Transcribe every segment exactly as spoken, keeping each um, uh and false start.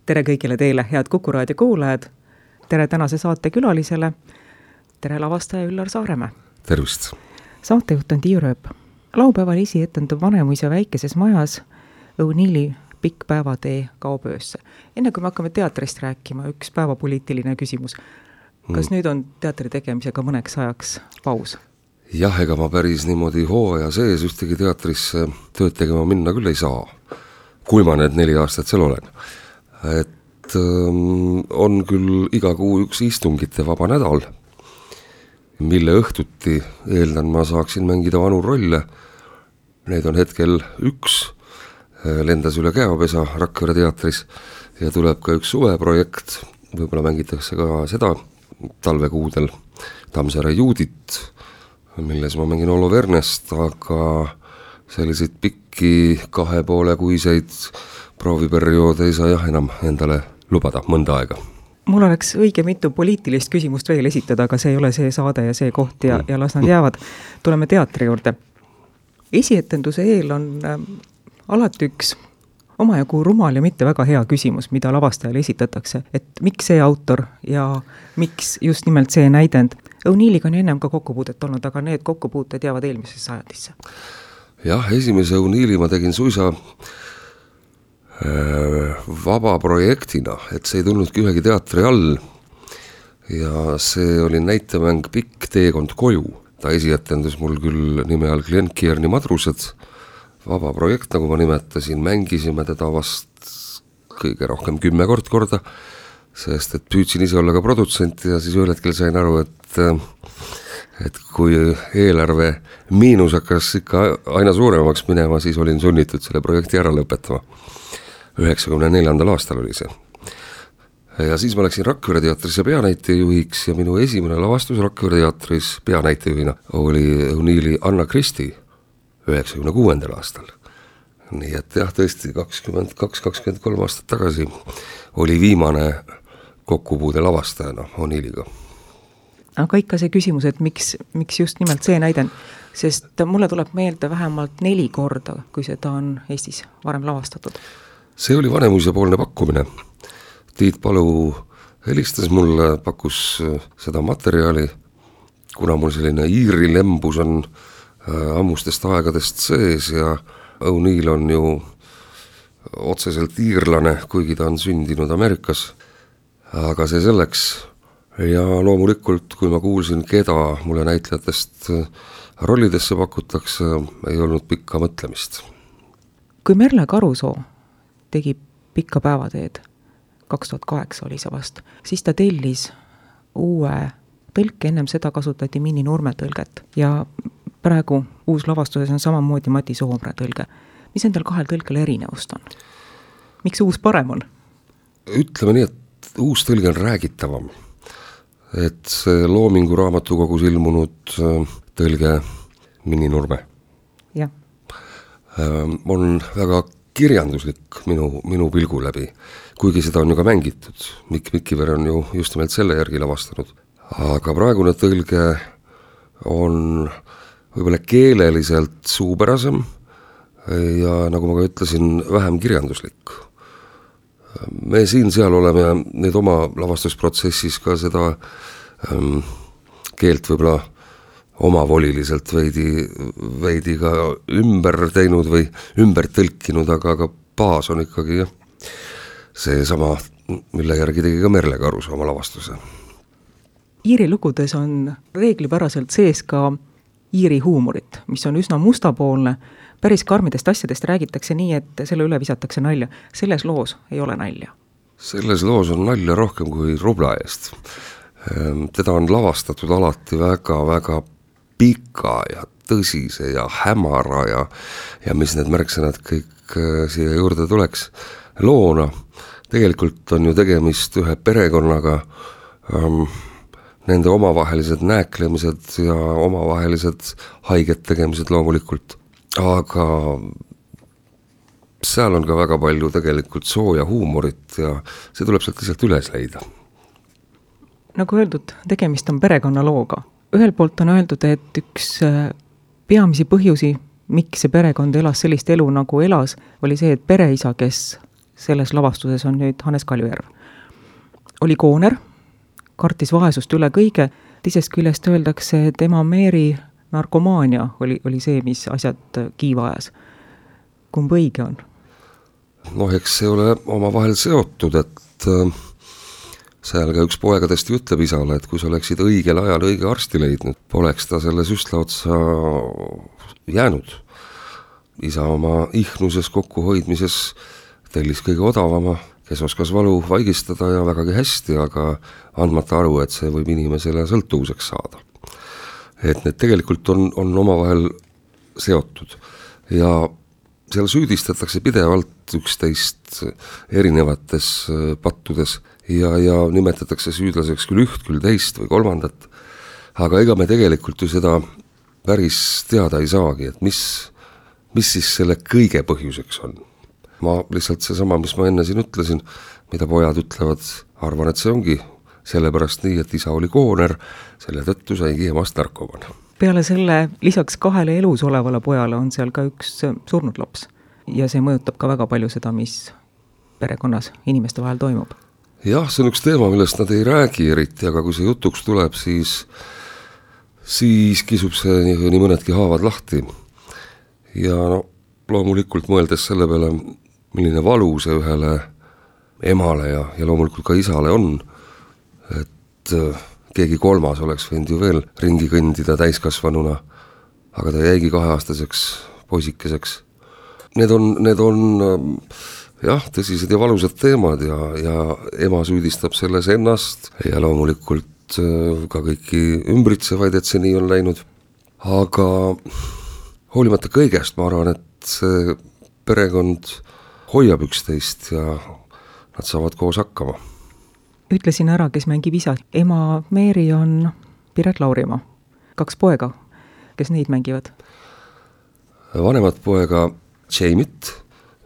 tere kõigile teile, head Kuku raadio kuulajad. Tere tänase saate külalisele. Tere lavastaja Üllar Saaremäe. Tervist. Saatejuht on Tiiu Rööp. Laupäeval esietendub Vanemuise väikeses majas O'Neilli Pikk päevatee kaob öösse. Enne kui me hakkame teatrist rääkima, üks päevapoliitiline küsimus. Kas mm. nüüd on teatri tegemisega mõneks ajaks paus? Jah, ega ma päris niimoodi hooaja sees ühtegi teatrisse tööd tegema minna küll ei saa, kui ma need neli aastat seal olen. Et ähm, on küll iga kuu üks istungite vaba nädal, mille õhtuti eeldan ma saaksin mängida vanu rolle. Neid on hetkel üks, lendas üle Käopesa Rakvere teatris ja tuleb ka üks suveprojekt, võib-olla mängitakse ka seda talvekuudel Tammsaare Juudit, milles ma mängin Olo Vernest, aga selliseid pikki kahe poole kuiseid prooviperioode ei saa jah enam endale lubada mõnda aega. Mul oleks õige mitu poliitilist küsimust veel esitada, aga see ei ole see saade ja see koht ja, ja las nad jäävad. Tuleme teatri juurde. Esietenduse eel on äh, alati üks omajagu rumal ja mitte väga hea küsimus, mida lavastajale esitatakse, et miks see autor ja miks just nimelt see näidend. O'Neilliga on ennem ka kokkupuudet olnud, aga need kokkupuuted jäävad eelmisesse sajandisse. Jah, esimese O'Neilli ma tegin suisa vaba projektina, et see ei tulnudki ühegi teatri all ja see oli näitemäng Pikk teekond koju. Ta esietendus mul küll nime all Glenn Kearney Madrused, vaba projekt, nagu ma nimetasin, mängisime teda vast kõige rohkem kümme kord korda, sest et püüdsin ise olla ka produtsent ja siis ühel hetkel sain aru, et et kui eelarve miinus hakkas ikka aina suuremaks minema, siis olin sunnitud selle projekti ära lõpetama. üheksakümne neljandal aastal oli see. Ja siis ma läksin Rakvere teatrisse peanäitejuhiks ja minu esimene lavastus Rakvere teatris peanäitejuhina oli O'Neilli Anna Christie üheksakümne kuuendal aastal. Nii et jah, tõesti kakskümmend kaks kakskümmend kolm aastat tagasi oli viimane kokkupuude lavastajana O'Neilliga. Aga ikka see küsimus, et miks, miks just nimelt see näiden, sest mulle tuleb meelde vähemalt neli korda, kui seda on Eestis varem lavastatud. See oli Vanemuise poolne pakkumine. Tiit Palu helistas mulle, pakkus seda materjali, kuna mul selline Iiri lembus on ammustest aegadest sees ja O'Neill on ju otseselt iirlane, kuigi ta on sündinud Ameerikas. Aga see selleks ja loomulikult, kui ma kuulsin, keda mulle näitlejatest rollidesse pakutakse, ei olnud pikka mõtlemist. Kui Merle Karusoo tegi Pikka päevateed, kaks tuhat kaheksa oli see vast, siis ta tellis uue tõlke, ennem seda kasutati Mini Nurme tõlget ja praegu uus lavastuses on samamoodi Mati Soomre tõlge. Mis endal kahel tõlkel erinevust on? Miks uus parem on? Ütleme nii, et uus tõlge on räägitavam. Et see Loomingu raamatukogus ilmunud tõlge Mini Nurme ja. on väga kirjanduslik minu, minu pilgu läbi, kuigi seda on ju ka mängitud. Mikk Mikiver on ju just nimelt selle järgi lavastanud. Aga praegune tõlge on võib-olla keeleliselt suupärasem ja nagu ma ka ütlesin, vähem kirjanduslik. Me siin seal oleme neid oma lavastusprotsessis ka seda ähm, keelt võib-olla omavoliliselt veidi, veidi ka ümber teinud või ümber tõlkinud, aga, aga baas on ikkagi jah, see sama, mille järgi tegi ka Merle Karusoo oma lavastuse. Iiri lugudes on reeglipäraselt sees ka iiri huumorit, mis on üsna mustapoolne. Päris karmidest asjadest räägitakse nii, et selle üle visatakse nalja. Selles loos ei ole nalja. Selles loos on nalja rohkem kui rubla eest. Teda on lavastatud alati väga-väga pika ja tõsise ja hämara ja, ja mis need märksõnad kõik siia juurde tuleks loona. Tegelikult on ju tegemist ühe perekonnaga, ähm, nende omavahelised nääklemised ja omavahelised haiget tegemised loomulikult. Aga seal on ka väga palju tegelikult sooja huumorit ja see tuleb sealt lihtsalt üles leida. Nagu öeldud, tegemist on perekonnalooga. Ühelt poolt on öeldud, et üks peamisi põhjusi, miks see perekond elas sellist elu nagu elas, oli see, et pereisa, kes selles lavastuses on nüüd Hannes Kaljujärv. Oli kooner, kartis vaesust üle kõige, teisest küljest öeldakse, et ema Meeri narkomaania oli, oli see, mis asjad kiiva ajas. Kumb õige on? Noh, eks see ole omavahel seotud, et äh, seal ka üks poegadest ütleb isale, et kui sa oleksid õigel ajal õige arsti leidnud, poleks ta selle süstla otsa jäänud. Isa oma ihnuses kokkuhoidmises tellis kõige odavama, kes oskas valu vaigistada ja vägagi hästi, aga andmata aru, et see võib inimesele sõltuvuseks saada. Et need tegelikult on, on omavahel seotud ja seal süüdistatakse pidevalt üksteist erinevates pattudes ja, ja nimetatakse süüdlaseks küll üht, küll teist või kolmandat, aga ega me tegelikult ju seda päris teada ei saagi, et mis, mis siis selle kõige põhjuseks on. Ma lihtsalt seesama, mis ma enne siin ütlesin, mida pojad ütlevad, arvan, et see ongi sellepärast nii, et isa oli kooner, selle tõttu saigi emast narkoman. Peale selle lisaks kahele elus olevale pojale on seal ka üks surnud laps ja see mõjutab ka väga palju seda, mis perekonnas inimeste vahel toimub. Jah, see on üks teema, millest nad ei räägi eriti, aga kui see jutuks tuleb, siis, siis kisub see nii, nii mõnedki haavad lahti. Ja no, loomulikult mõeldes selle peale, milline valu see ühele emale ja, ja loomulikult ka isale on, et keegi kolmas oleks võinud ju veel ringi kõndida täiskasvanuna, aga ta jäigi kaheaastaseks poisikeseks. Need on, need on jah, tõsised ja valusad teemad ja, ja ema süüdistab selles ennast ja loomulikult ka kõiki ümbritsevaid, et see nii on läinud. Aga hoolimata kõigest, ma arvan, et see perekond hoiab üksteist ja nad saavad koos hakkama. Ütlesin ära, kes mängib isa. Ema Meeri on Piret Laurimaa. Kaks poega, kes neid mängivad? Vanemad poega Jamit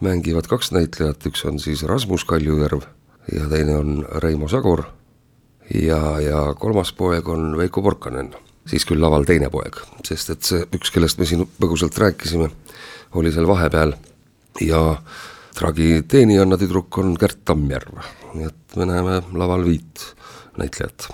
mängivad kaks näitlejat, üks on siis Rasmus Kaljujärv ja teine on Reimo Sagor ja, ja kolmas poeg on Veiko Porkanen, siis küll laval teine poeg, sest et see üks, kellest me siin põgusalt rääkisime, oli seal vahepeal ja tragi teenijanna tüdruk on Gert Tammjärv, nii et me näeme laval viit näitlejat.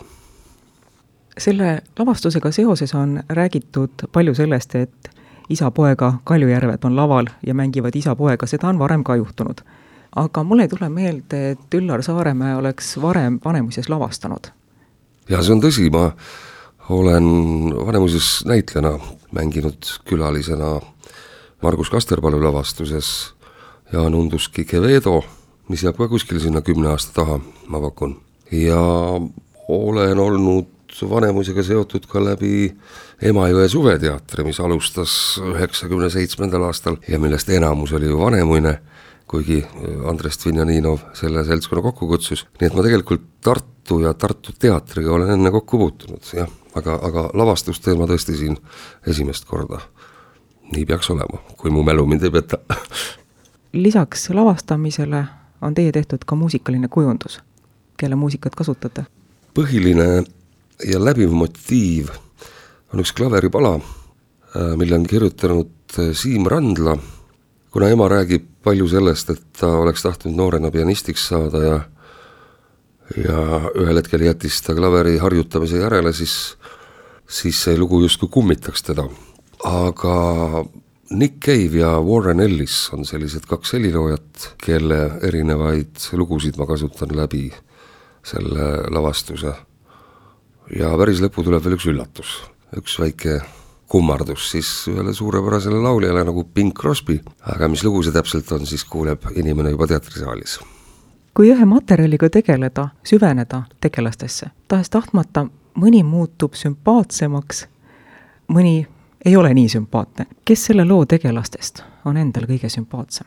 Selle lavastusega seoses on räägitud palju sellest, et isa-poega Kaljujärved on laval ja mängivad isa-poega, seda on varem ka juhtunud. Aga mulle ei tule meelde, et Üllar Saaremäe oleks varem Vanemuises lavastanud. Ja see on tõsi, ma olen Vanemuises näitlejana mänginud külalisena Margus Kasterpalu lavastuses Jaan Unduski Kevedo, mis jääb ka kuskil sinna kümne aasta taha, ma pakun. Ja olen olnud Vanemuisega seotud ka läbi Emajõe suveteatri, mis alustas üheksakümne seitsmendal aastal ja millest enamus oli ju vanemuine, kuigi Andres Dvinjaninov selle seltskonna kokku kutsus. Nii et ma tegelikult Tartu ja Tartu teatriga olen enne kokku puutunud, jah, aga, aga lavastusteema tõesti siin esimest korda. Nii peaks olema, kui mu mälu mind ei peta. Lisaks lavastamisele on teie tehtud ka muusikaline kujundus. Kelle muusikat kasutate? Põhiline ja läbiv motiiv on üks klaveripala, mille on kirjutanud Siim Randla, kuna ema räägib palju sellest, et ta oleks tahtnud noorena pianistiks saada ja, ja ühel hetkel jättis ta klaveri harjutamise järele, siis, siis see lugu justkui kummitaks teda. Aga Nick Cave ja Warren Ellis on sellised kaks heliloojat, kelle erinevaid lugusid ma kasutan läbi selle lavastuse. Ja päris lõpu tuleb veel üks üllatus, üks väike kummardus siis ühele suurepärasele lauljale nagu Bing Crosby, aga mis lugu see täpselt on, siis kuuleb inimene juba teatrisaalis. Kui ühe materjaliga tegeleda, süveneda tegelastesse, tahes tahtmata mõni muutub sümpaatsemaks, mõni ei ole nii sümpaatne. Kes selle loo tegelastest on endal kõige sümpaatsem?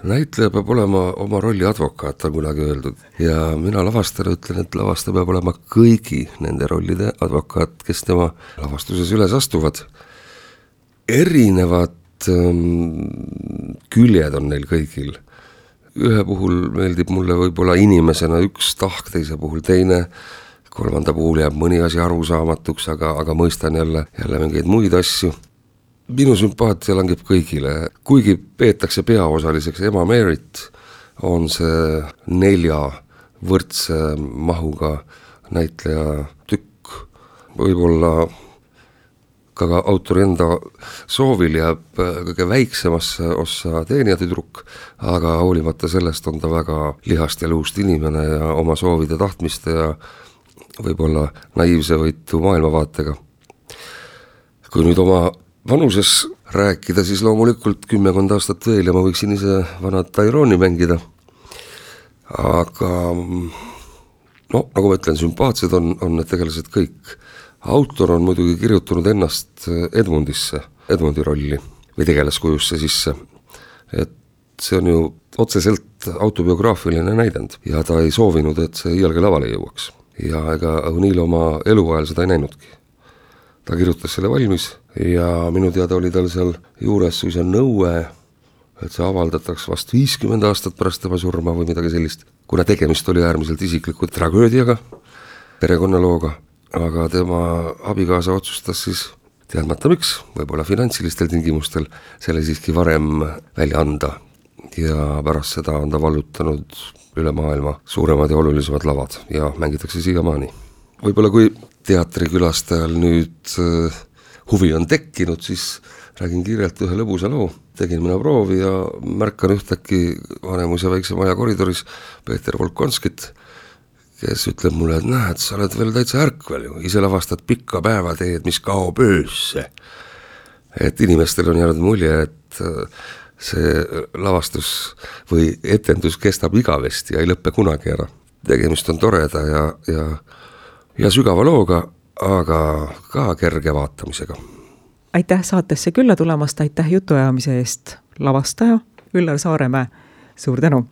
Näitleja peab olema oma rolli advokaat, on kunagi öeldud. Ja mina lavastajana ütlen, et lavastaja peab olema kõigi nende rollide advokaat, kes tema lavastuses üles astuvad. Erinevad ähm, küljed on neil kõigil. Ühe puhul meeldib mulle võib-olla inimesena üks tahk, teise puhul teine, kolmanda puhul jääb mõni asi arusaamatuks, aga, aga mõistan jälle, jälle mingeid muid asju. minu sümpaatia langeb kõigile, kuigi peetakse peaosaliseks Emma Maryt, on see nelja võrdse mahuga näitleja tükk. Võib-olla ka autori enda soovil jääb kõige väiksemasse ossa teenijatüdruk, aga hoolimata sellest on ta väga lihast ja luust inimene ja oma soovide tahtmiste ja võib-olla naiivse võitu maailmavaatega. Kui nüüd oma vanuses rääkida, siis loomulikult kümmekond aastat veel ja ma võiksin ise vanad Tyroni mängida. Aga no, nagu ma ütlen, sümpaatsed on, on need tegelased kõik. Autor on muidugi kirjutanud ennast Edmundisse, Edmundi rolli või tegelaskujusse sisse. Et see on ju otseselt autobiograafiline näidend ja ta ei soovinud, et see iialgi lavale jõuaks. Ja ega O'Neill oma eluajal seda ei näinudki. Ta kirjutas selle valmis ja minu teada oli tal seal juures suisa nõue, et see avaldataks vast viiskümmend aastat pärast tema surma või midagi sellist, kuna tegemist oli äärmiselt isikliku tragöödiaga, perekonnalooga, aga tema abikaasa otsustas siis, teadmata miks, võib-olla finantsilistel tingimustel, selle siiski varem välja anda ja pärast seda on ta vallutanud üle maailma suuremad ja olulisemad lavad ja mängitakse siiamaani. Võib-olla kui teatrikülastajal nüüd uh, huvi on tekkinud, siis räägin kiirelt ühe lõbusa loo. Tegin mina proovi ja märkan ühtäkki Vanemuise väikse maja koridoris Peeter Volkonskit, kes ütleb mulle, et näed, sa oled veel täitsa ärkvel ju, ise lavastad pikka päeva teed, mis kaob öösse. Et inimestel on jäänud mulje, et see lavastus või etendus kestab igavesti ja ei lõppe kunagi ära. Tegemist on toreda ja, ja, ja sügava looga, aga ka kerge vaatamisega. Aitäh saatesse külla tulemast, aitäh jutuajamise eest lavastaja Üllar Saaremäe, suur tänu.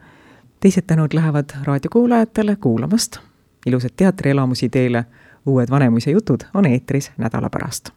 Teised tänud lähevad raadiokuulajatele kuulamast. Ilusad teatrielamusi teile, uued Vanemuise jutud on eetris nädala pärast.